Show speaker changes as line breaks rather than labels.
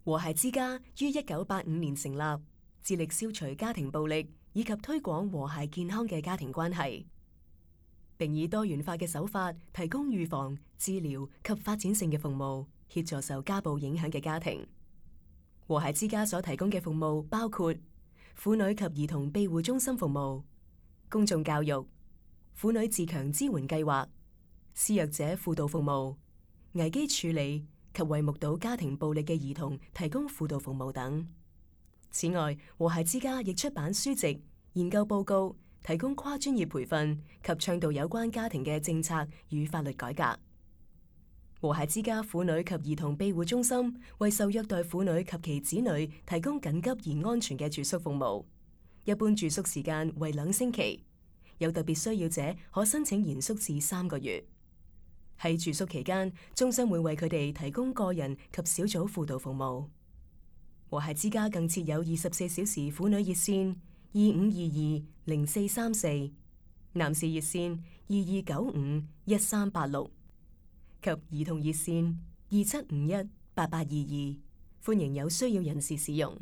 和諧之家於1985年成立，致力消除家庭暴力以及推廣和諧健康嘅家庭關係，並以多元化嘅手法提供預防、治療及發展性嘅服務，協助受家暴影響嘅家庭。和諧之家所提供嘅服務包括婦女及兒童庇護中心服務、公眾教育、婦女自強支援計劃、施虐者輔導服務、危機處理及為目睹家庭暴力嘅兒童提供輔導服務等。此外，和諧之家亦出版書籍、研究報告，提供跨專業培訓及倡導有關家庭嘅政策與法律改革。和諧之家婦女及兒童庇護中心為受虐待婦女及其子女提供緊急而安全嘅住宿服務，一般住宿時間為2星期，有特別需要者可申請延宿至3個月。喺住宿期間，中心會為佢哋提供個人及小組輔導服務。和諧之家更設有24小時婦女熱線25220434，男士熱線22951386。及兒童熱線27518822，歡迎有需要人士使用。